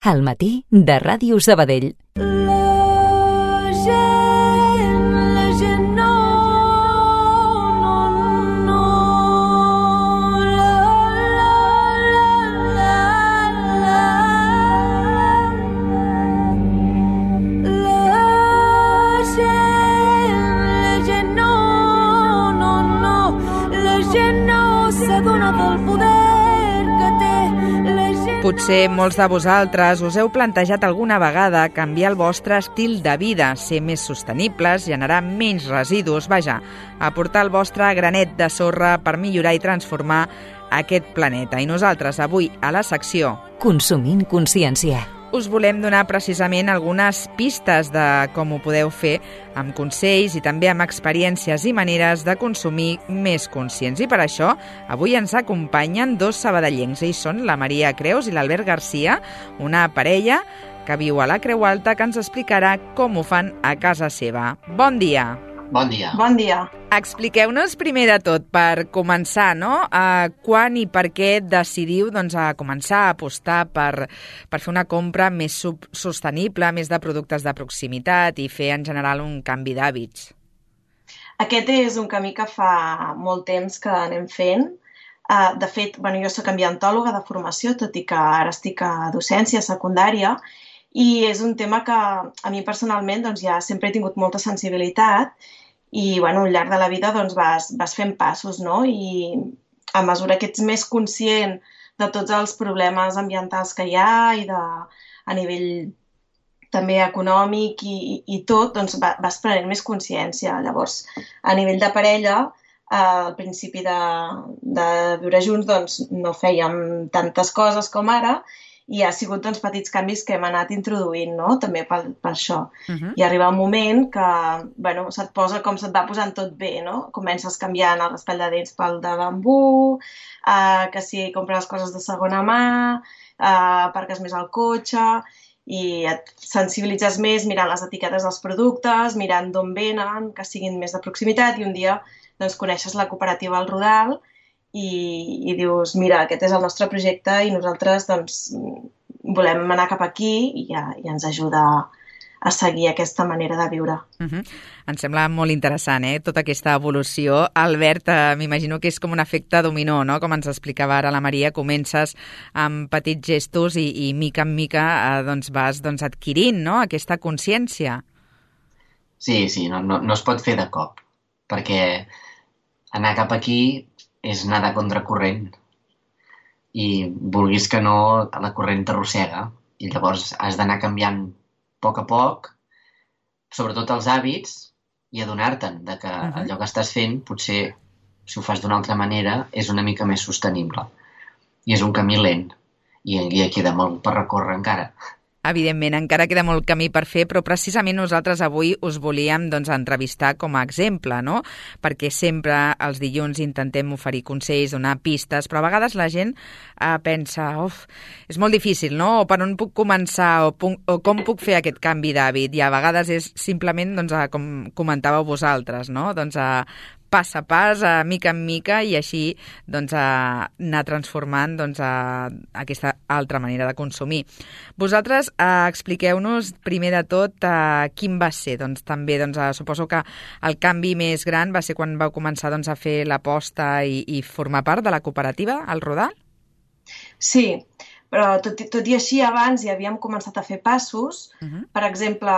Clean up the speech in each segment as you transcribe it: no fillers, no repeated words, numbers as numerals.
Al matí de Ràdio Sabadell. Potser molts de vosaltres us heu plantejat alguna vegada canviar el vostre estil de vida, ser més sostenibles, generar menys residus, vaja, aportar el vostre granet de sorra per millorar i transformar aquest planeta. I nosaltres avui a la secció Consumint consciència us volem donar precisament algunes pistes de com ho podeu fer amb consells i també amb experiències i maneres de consumir més conscients. I per això, avui ens acompanyen dos sabadellencs. Ells són la Maria Creus i l'Albert Garcia, una parella que viu a la Creu Alta, que ens explicarà com ho fan a casa seva. Bon dia! Bon dia. Bon dia. Expliqueu-nos primer de tot, per començar, no? Quan i per què decidiu a començar a apostar per fer una compra més sostenible, més de productes de proximitat i fer en general un canvi d'hàbits? Aquest és un camí que fa molt temps que anem fent. De fet, jo soc ambientòloga de formació, tot i que ara estic a docència secundària, i és un tema que a mi personalment ja sempre he tingut molta sensibilitat i al llarg de la vida vas fent passos, no? I a mesura que ets més conscient de tots els problemes ambientals que hi ha i a nivell també econòmic i tot, vas prenent més consciència. Llavors, a nivell de parella, al principi de viure junts no fèiem tantes coses com ara, i ha sigut petits canvis que hem anat introduint, no? També per això. I arriba un moment que se't posa com se't va posant tot bé, no? Comences canviant el raspall de dents pel de bambú, que si compres coses de segona mà, aparques més al cotxe, i et sensibilitzes més mirant les etiquetes dels productes, mirant d'on venen, que siguin més de proximitat, i un dia coneixes la cooperativa El Rodal, i dius, mira, aquest és el nostre projecte i nosaltres volem anar cap aquí i ens ajuda a seguir aquesta manera de viure. Em sembla molt interessant, tota aquesta evolució. Albert, m'imagino que és com un efecte dominó, no? Com ens explicava ara la Maria, comences amb petits gestos i mica en mica vas adquirint, no? Aquesta consciència. Sí, no es pot fer de cop, perquè anar cap aquí és anar de contracorrent i vulguis que no, la corrent t'arrossega i llavors has d'anar canviant a poc, sobretot els hàbits, i adonar-te'n que allò que estàs fent potser, si ho fas d'una altra manera, és una mica més sostenible. I és un camí lent i queda molt per recórrer encara. Evidentment, encara queda molt camí per fer, però precisament nosaltres avui us volíem entrevistar com a exemple, no? Perquè sempre els dilluns intentem oferir consells, donar pistes, però a vegades la gent pensa, és molt difícil, no? O per on puc començar, o com puc fer aquest canvi d'hàbit? I a vegades és simplement, com comentàveu vosaltres, no? Pas a pas, mica en mica, i així anar transformant aquesta altra manera de consumir. Vosaltres expliqueu-nos primer de tot quin va ser. També suposo que el canvi més gran va ser quan vau començar a fer l'aposta i formar part de la cooperativa, El Rodal? Sí, però tot i així abans ja havíem començat a fer passos. Per exemple,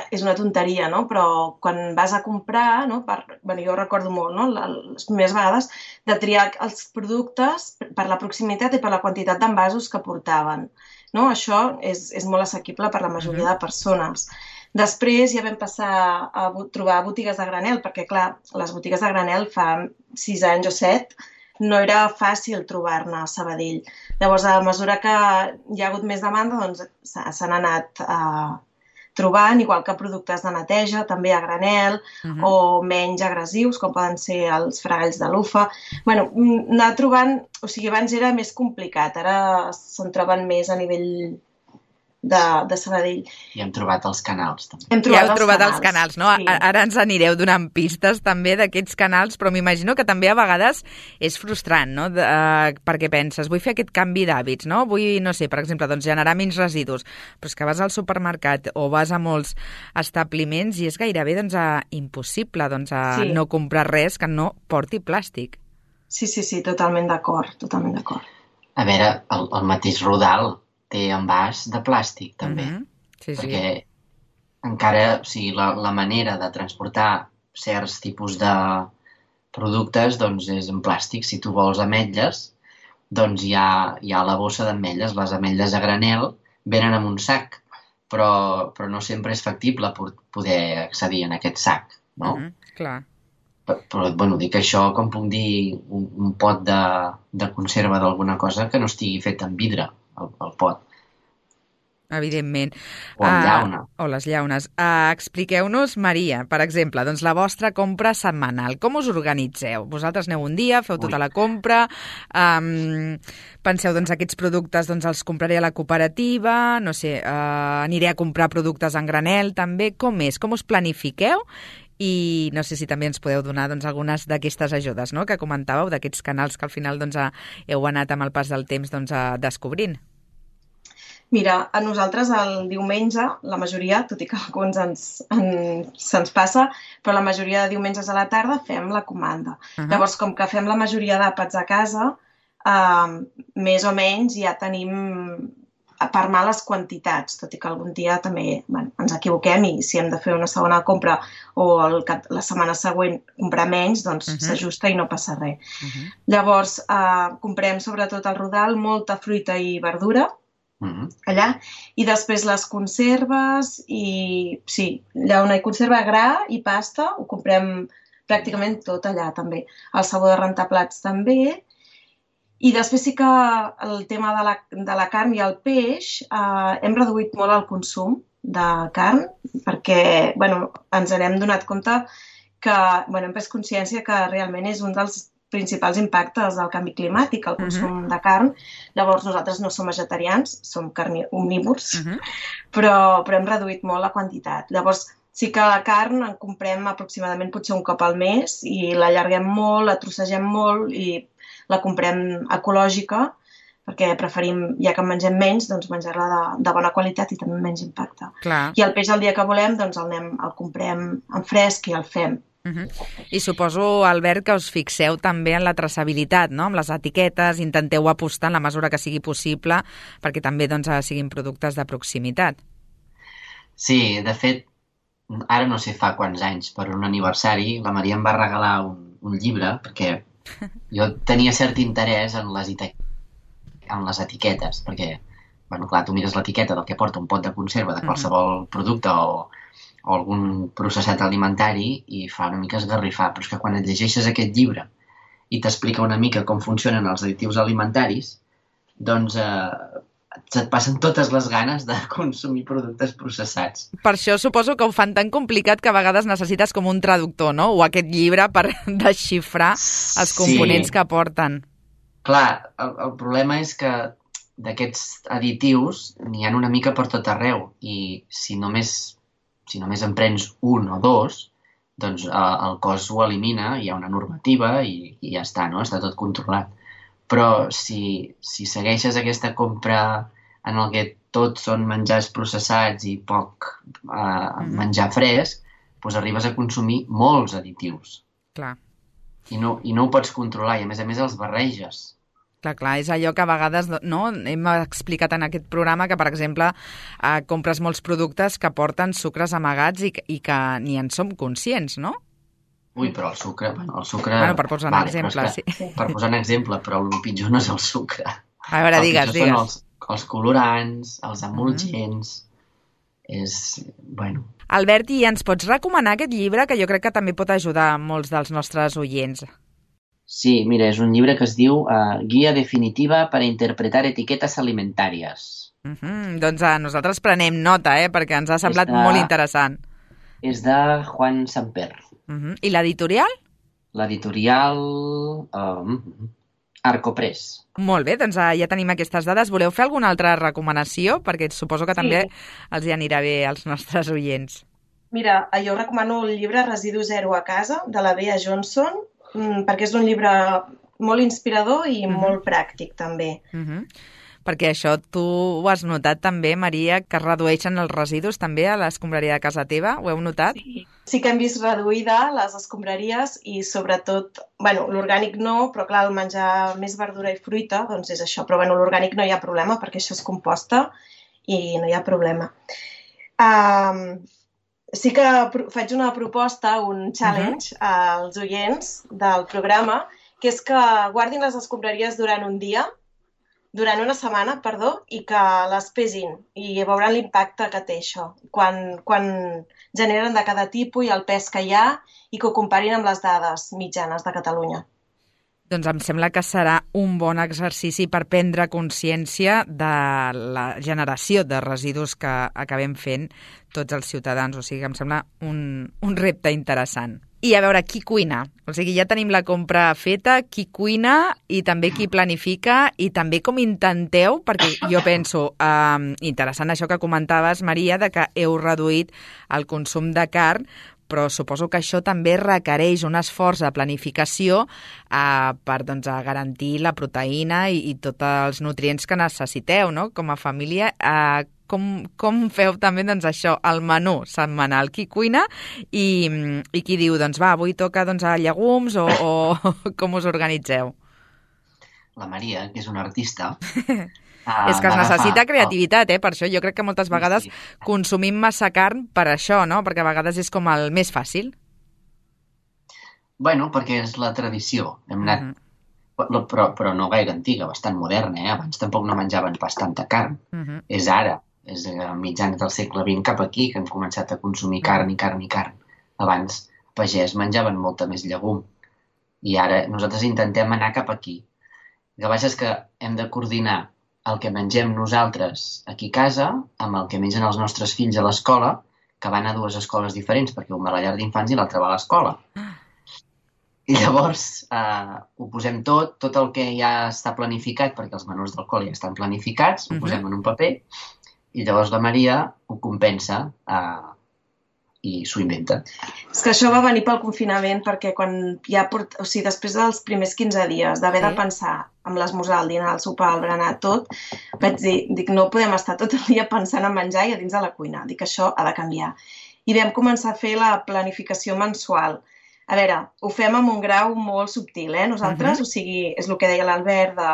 és una tonteria, no? Però quan vas a comprar, no? Jo recordo molt, no? Les primeres vegades, de triar els productes per la proximitat i per la quantitat d'envasos que portaven, no? Això és molt assequible per la majoria de persones. Després ja vam passar a trobar botigues de granel, perquè clar, les botigues de granel fa 6 anys o 7 no era fàcil trobar-ne a Sabadell. Llavors, a mesura que hi ha hagut més demanda, s'han anat trobant, igual que productes de neteja, també a granel, o menys agressius, com poden ser els fregalls de lufa. Anar trobant, abans era més complicat, ara se'n troben més a nivell de Sabadell. I hem trobat els canals, també. Ja heu trobat els canals, no? Sí. Ara ens anireu donant pistes també d'aquests canals, però m'imagino que també a vegades és frustrant, no? Perquè penses, vull fer aquest canvi d'hàbits, no? Vull, no sé, per exemple, doncs, generar menys residus, però és que vas al supermercat o vas a molts establiments i és gairebé doncs, impossible doncs, no comprar res que no porti plàstic. Sí, totalment d'acord, totalment d'acord. A veure, el mateix Rodal té envàs de plàstic, també. Sí. Perquè encara, o sigui, la manera de transportar certs tipus de productes doncs és en plàstic. Si tu vols ametlles, doncs hi ha la bossa d'ametlles. Les ametlles a granel venen en un sac, però no sempre és factible poder accedir en aquest sac, no? Clar. Però, bueno, dic això, com puc dir, un pot de conserva d'alguna cosa que no estigui fet en vidre, el pot. Evidentment. O amb llauna. O les llaunes. Expliqueu-nos, Maria, per exemple, doncs la vostra compra setmanal. Com us organitzeu? Vosaltres aneu un dia, feu tota la compra, penseu, doncs, aquests productes doncs, els compraré a la cooperativa, no sé, aniré a comprar productes en granel, també. Com és? Com us planifiqueu? I no sé si també ens podeu donar doncs, algunes d'aquestes ajudes, no?, que comentàveu, d'aquests canals que al final doncs, heu anat amb el pas del temps doncs, descobrint. Mira, a nosaltres el diumenge, la majoria, tot i que alguns se'ns passa, però la majoria de diumenges a la tarda fem la comanda. Llavors, com que fem la majoria d'àpats a casa, més o menys ja tenim per mà les quantitats, tot i que algun dia també ens equivoquem i si hem de fer una segona compra o la setmana següent comprar menys, doncs s'ajusta i no passa res. Llavors, comprem sobretot al Rodal molta fruita i verdura, allà, i després les conserves i sí, llauna i conserva, gra i pasta, ho comprem pràcticament tot allà també. El sabó de rentar plats també. I després sí que el tema de la carn i el peix hem reduït molt el consum de carn perquè ens n'hem donat compte que hem pres consciència que realment és un dels principals impactes del canvi climàtic, el consum de carn. Llavors nosaltres no som vegetarians, som omnívors, però hem reduït molt la quantitat. Llavors sí que la carn en comprem aproximadament potser un cop al mes i l'allarguem molt, la trossegem molt i la comprem ecològica perquè preferim, ja que en mengem menys, doncs menjar-la de bona qualitat i també menys impacte. Clar. I el peix el dia que volem, doncs el comprem en fresc i el fem. I suposo, Albert, que us fixeu també en la traçabilitat, no?, amb les etiquetes, intenteu apostar en la mesura que sigui possible perquè també doncs, siguin productes de proximitat. Sí, de fet, ara no sé fa quants anys, per un aniversari, la Maria em va regalar un llibre perquè jo tenia cert interès en les etiquetes, perquè, clar, tu mires l'etiqueta del que porta un pot de conserva de qualsevol producte o algun processat alimentari i fa una mica esgarrifar, però és que quan et llegeixes aquest llibre i t'explica una mica com funcionen els additius alimentaris, doncs et passen totes les ganes de consumir productes processats. Per això suposo que ho fan tan complicat que a vegades necessites com un traductor, no?, o aquest llibre per desxifrar els components que porten. Clar, el problema és que d'aquests additius n'hi ha una mica per tot arreu i si només en prens un o dos, doncs el cos ho elimina, hi ha una normativa i ja està, no? Està tot controlat. Però si segueixes aquesta compra en el que tot són menjars processats i poc menjar fresc, doncs arribes a consumir molts additius. Clar. I no ho pots controlar i a més els barreges. Clar, és allò que a vegades no hem explicat en aquest programa que, per exemple, compres molts productes que porten sucres amagats i que ni en som conscients, no? Ui, però el sucre... per posar un exemple, sí. Per posar un exemple, però el pitjor no és el sucre. A veure, digues. El pitjor són els colorants, els emulgents... Albert, i ens pots recomanar aquest llibre que jo crec que també pot ajudar molts dels nostres oients? Sí, mira, és un llibre que es diu Guia definitiva per a interpretar etiquetes alimentàries. Doncs nosaltres prenem nota, perquè ens ha semblat molt interessant. És de Juan Samper. I l'editorial? L'editorial... Arcopress. Molt bé, doncs ja tenim aquestes dades. Voleu fer alguna altra recomanació? Perquè suposo que també els hi anirà bé als nostres oients. Mira, jo recomano el llibre Residu zero a casa, de la Bea Johnson, perquè és un llibre molt inspirador i molt pràctic, també. Perquè això tu ho has notat també, Maria, que es redueixen els residus també a l'escombraria de casa teva? Ho heu notat? Sí que hem vist reduïda les escombraries i sobretot, l'orgànic no, però clar, el menjar més verdura i fruita, doncs és això. Però l'orgànic no hi ha problema perquè això es composta i no hi ha problema. Sí que faig una proposta, un challenge als oients del programa, que és que guardin les escombraries durant una setmana, i que les pesin i veuran l'impacte que té això, quan generen de cada tipus i el pes que hi ha i que ho comparin amb les dades mitjanes de Catalunya. Doncs em sembla que serà un bon exercici per prendre consciència de la generació de residus que acabem fent tots els ciutadans. O sigui que em sembla un repte interessant. I a veure, qui cuina? O sigui, ja tenim la compra feta, qui cuina i també qui planifica i també com intenteu, perquè jo penso, interessant això que comentaves, Maria, de que heu reduït el consum de carn, però suposo que això també requereix un esforç de planificació per garantir la proteïna i tots els nutrients que necessiteu, no? Com a família, com feu també això, el menú setmanal? Qui cuina i qui diu, avui toca llegums o com us organitzeu? La Maria, que és una artista... És que es necessita creativitat, per això jo crec que moltes vegades consumim massa carn per això, no? Perquè a vegades és com el més fàcil. Perquè és la tradició. Hem anat... Però no gaire antiga, bastant moderna, Abans tampoc no menjaven pas tanta carn. És ara, és a mitjans del segle XX cap aquí que hem començat a consumir carn i carn i carn. Abans, pagès menjaven molta més llegum. I ara nosaltres intentem anar cap aquí. El que passa és que hem de coordinar el que mengem nosaltres aquí a casa amb el que mengen els nostres fills a l'escola, que van a dues escoles diferents, perquè un va a la llar d'infants i l'altre va a l'escola. I llavors ho posem tot el que ja està planificat, perquè els menús del col·le ja estan planificats, ho posem en un paper, i llavors la Maria ho compensa i s'ho inventa. És que això va venir pel confinament, perquè després dels primers 15 dies d'haver de pensar amb l'esmorzar, el dinar, el sopar, el berenar, tot, vaig dir, no podem estar tot el dia pensant en menjar i a dins de la cuina. Dic, això ha de canviar. I vam començar a fer la planificació mensual. A veure, ho fem amb un grau molt subtil, nosaltres, o sigui, és el que deia l'Albert, de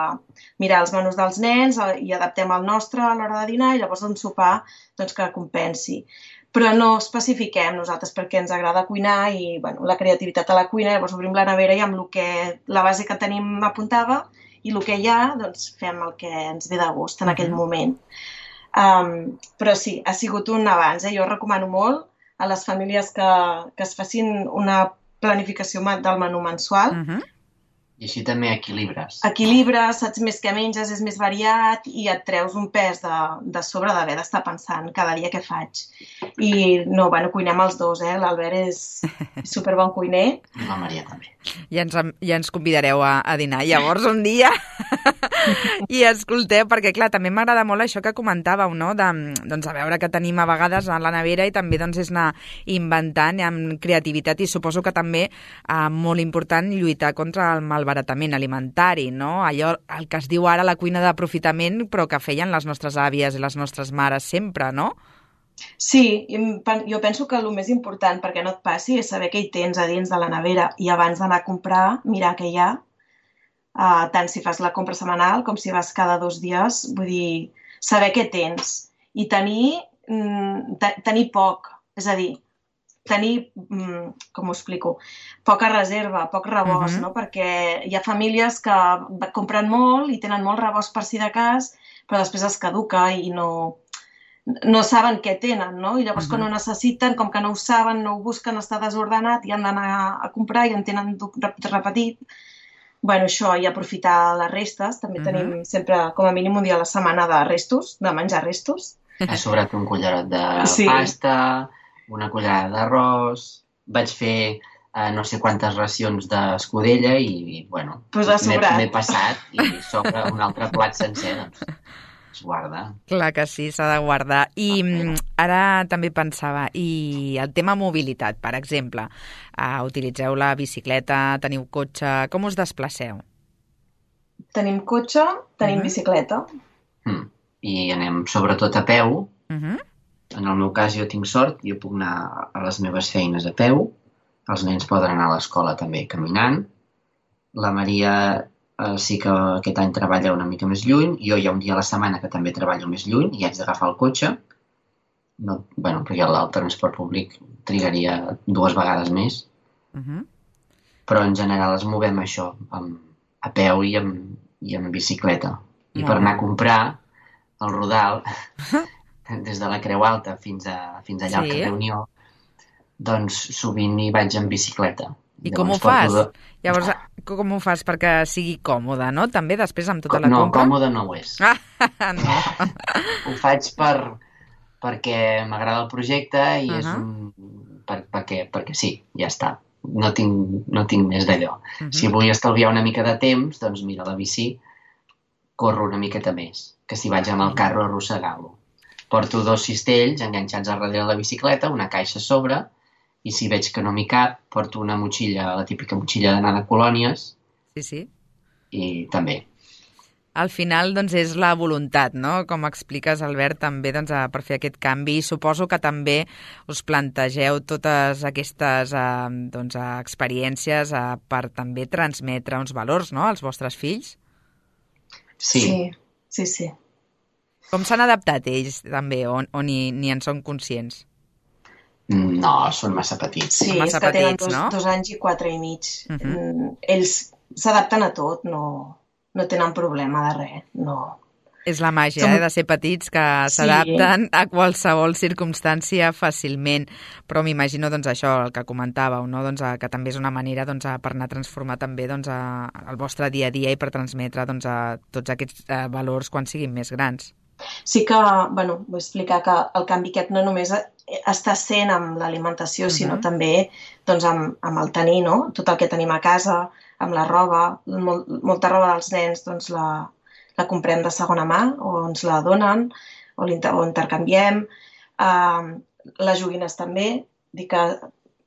mirar els menús dels nens i adaptem el nostre a l'hora de dinar i llavors un sopar que compensi. Però no especifiquem nosaltres perquè ens agrada cuinar i la creativitat a la cuina, llavors obrim la nevera i amb la base que tenim apuntada i el que hi ha, fem el que ens ve de gust en aquell moment. Però sí, ha sigut un avanç. Jo recomano molt a les famílies que es facin una planificació del menú mensual. I així també equilibres. Equilibres, saps més què menges, és més variat i et treus un pes de sobre d'haver d'estar pensant cada dia què faig. I cuinem els dos, l'Albert és superbon cuiner. I la Maria també. Ja ens convidareu a dinar llavors un dia i escolteu, perquè clar, també m'agrada molt això que comentàveu, no? A veure que tenim a vegades a la nevera i també és anar inventant amb creativitat i suposo que també molt important lluitar contra el malbaratament alimentari, no? Allò, el que es diu ara la cuina d'aprofitament, però que feien les nostres àvies i les nostres mares sempre, no? Sí, jo penso que el més important perquè no et passi és saber què hi tens a dins de la nevera i abans d'anar a comprar, mirar què hi ha, tant si fas la compra setmanal com si vas cada 2 dies, vull dir, saber què tens i tenir poc, és a dir, tenir, com ho explico, poca reserva, poc rebost, no? Perquè hi ha famílies que compren molt i tenen molt rebost per si de cas, però després es caduca i no saben què tenen, no? I llavors quan ho necessiten, com que no ho saben, no ho busquen, està desordenat i han d'anar a comprar i en tenen repetit. Això, i aprofitar les restes. També tenim sempre, com a mínim, un dia a la setmana de restos, de menjar restos. Ha sobrat un cullerot de pasta, una cullerada d'arròs. Vaig fer no sé quantes racions d'escudella i bueno, Pues ha sobrat. m'he passat i sobre un altre plat sencer, doncs es guarda. Clar que sí, s'ha de guardar. I ara també pensava, i el tema mobilitat, per exemple, utilitzeu la bicicleta, teniu cotxe, com us desplaceu? Tenim cotxe, tenim bicicleta. I anem sobretot a peu. Uh-huh. En el meu cas jo tinc sort, jo puc anar a les meves feines a peu, els nens poden anar a l'escola també caminant, la Maria sí que aquest any treballa una mica més lluny, jo hi ha un dia a la setmana que també treballo més lluny i haig d'agafar el cotxe, perquè el transport públic trigaria 2 vegades més, però en general es movem això, a peu i amb bicicleta. I per anar a comprar el Rodal, des de la Creu Alta fins allà al carrer Unió, doncs sovint hi vaig en bicicleta. I com ho fas? Llavors, com ho fas perquè sigui còmode, no? També després amb tota la No, compra? còmode no ho és. No. Ho faig perquè m'agrada el projecte i és perquè sí, ja està. No tinc més d'allò. Si vull estalviar una mica de temps, doncs mira, la bici corro una miqueta més, que si vaig amb el carro arrossegant-lo. Porto 2 cistells enganxats a darrere la bicicleta, una caixa a sobre, i si veig que no m'hi cap, porto una motxilla, la típica motxilla d'anar de colònies. Sí. I també. Al final, doncs, és la voluntat, no? Com expliques, Albert, també doncs, per fer aquest canvi. Suposo que també us plantegeu totes aquestes experiències per també transmetre uns valors, no?, als vostres fills. Sí. Com s'han adaptat ells, també, o ni en són conscients? No, són massa petits. Sí, Massa és que tenen petits, no? 2 anys i 4 i mig. Ells s'adapten a tot, no tenen problema de res, no. És la màgia, de ser petits, que s'adapten a qualsevol circumstància fàcilment. Però m'imagino, doncs, això, el que comentàveu, no? Doncs, que també és una manera per anar a transformar també el vostre dia a dia i per transmetre tots aquests valors quan siguin més grans. Sí que, vull explicar que el canvi aquest no només està sent amb l'alimentació, sinó també amb el tenir, no? Tot el que tenim a casa, amb la roba, molta roba dels nens doncs la comprem de segona mà o ens la donen o intercanviem. Les joguines també, dic que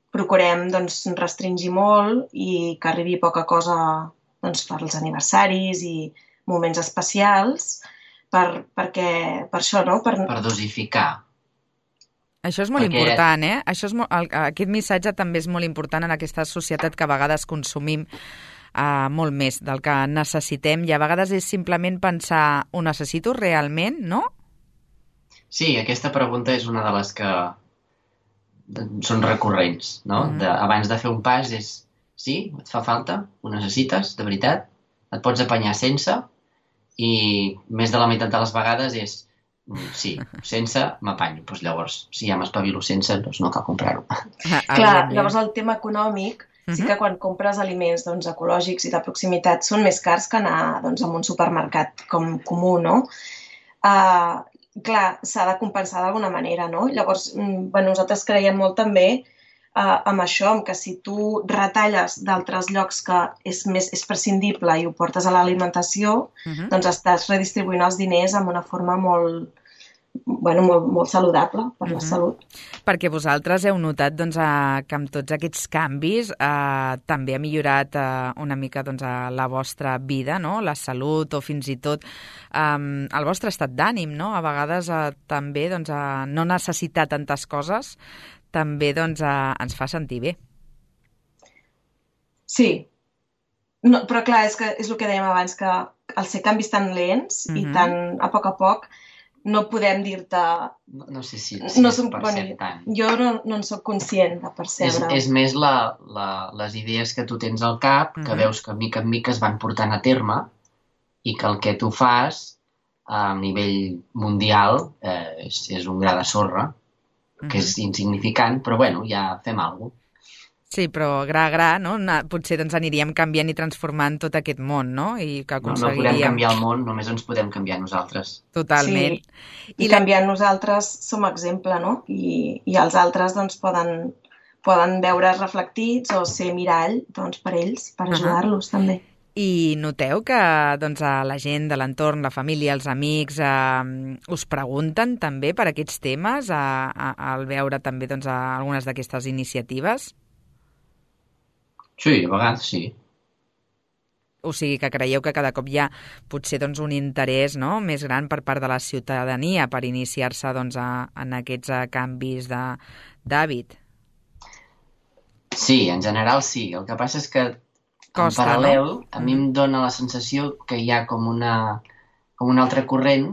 procurem restringir molt i que arribi poca cosa per als aniversaris i moments especials, per això, no? Per dosificar. Això és molt important, eh? Aquest missatge també és molt important en aquesta societat que a vegades consumim molt més del que necessitem i a vegades és simplement pensar, ho necessito realment, no? Sí, aquesta pregunta és una de les que són recurrents, no? Abans de fer un pas és, sí, et fa falta? Ho necessites, de veritat? Et pots apanyar sense? I més de la meitat de les vegades és sí, sense m'apanyo. Doncs llavors, si ja m'espavilo sense, doncs no cal comprar-ho. Clar, llavors el tema econòmic, sí que quan compres aliments ecològics i de proximitat són més cars que anar a un supermercat comú, no? Clar, s'ha de compensar d'alguna manera, no? Llavors, nosaltres creiem molt també amb això, que si tu retalles d'altres llocs que és prescindible i ho portes a l'alimentació, doncs estàs redistribuint els diners amb una forma molt saludable per la salut. Perquè vosaltres heu notat que amb tots aquests canvis també ha millorat una mica la vostra vida, no? La salut o fins i tot el vostre estat d'ànim, no? A vegades també no necessitar tantes coses també ens fa sentir bé. Sí, però clar, és el que dèiem abans, que al ser canvis tan lents i tan a poc, no podem dir-te... No sé si es percep tant. Jo no en soc conscient de percebre. És més les idees que tu tens al cap, que veus que mica en mica es van portant a terme i que el que tu fas a nivell mundial és un gra de sorra, que és insignificant, però ja fem alguna cosa. Sí, però gra, no? Potser aniríem canviant i transformant tot aquest món, no? I que aconseguiríem... No podem canviar el món, només ens podem canviar nosaltres. Totalment. Sí, i canviant nosaltres som exemple, no? I els altres poden poden veure's reflectits o ser mirall doncs, per ells, per ajudar-los també. I noteu que doncs, a la gent de l'entorn, la família, els amics, us pregunten també per aquests temes al veure també doncs, algunes d'aquestes iniciatives? Sí, a vegades sí. O sigui que creieu que cada cop hi ha potser doncs, un interès, no?, més gran per part de la ciutadania per iniciar-se doncs, en aquests canvis d'hàbit? Sí, en general sí. El que passa és que Costa, en paral·lel, no? a mi em dóna la sensació que hi ha com un altre corrent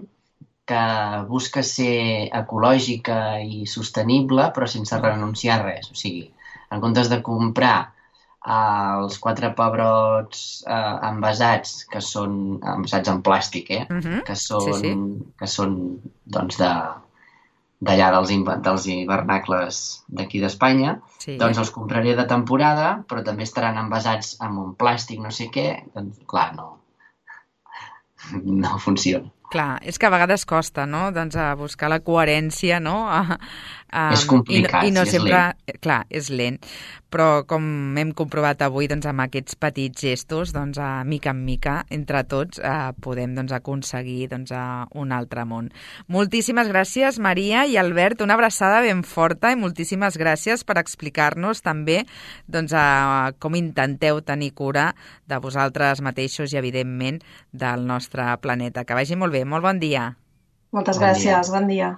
que busca ser ecològica i sostenible, però sense renunciar a res. O sigui, en comptes de comprar els 4 pebrots envasats, que són envasats en plàstic, que són doncs, d'allà dels hivernacles d'aquí d'Espanya, doncs els compraré de temporada, però també estaran envasats amb un plàstic no sé què, doncs clar, no funciona. Clar, és que a vegades costa, no?, doncs buscar la coherència, no? És complicat, i no és sempre, lent. Clar, és lent, però com hem comprovat avui, doncs amb aquests petits gestos, doncs mica en mica, entre tots, podem doncs, aconseguir doncs, un altre món. Moltíssimes gràcies, Maria i Albert, una abraçada ben forta i moltíssimes gràcies per explicar-nos també doncs, com intenteu tenir cura de vosaltres mateixos i, evidentment, del nostre planeta. Que vagi molt bé. Molt bon dia. Moltes gràcies. Bon dia.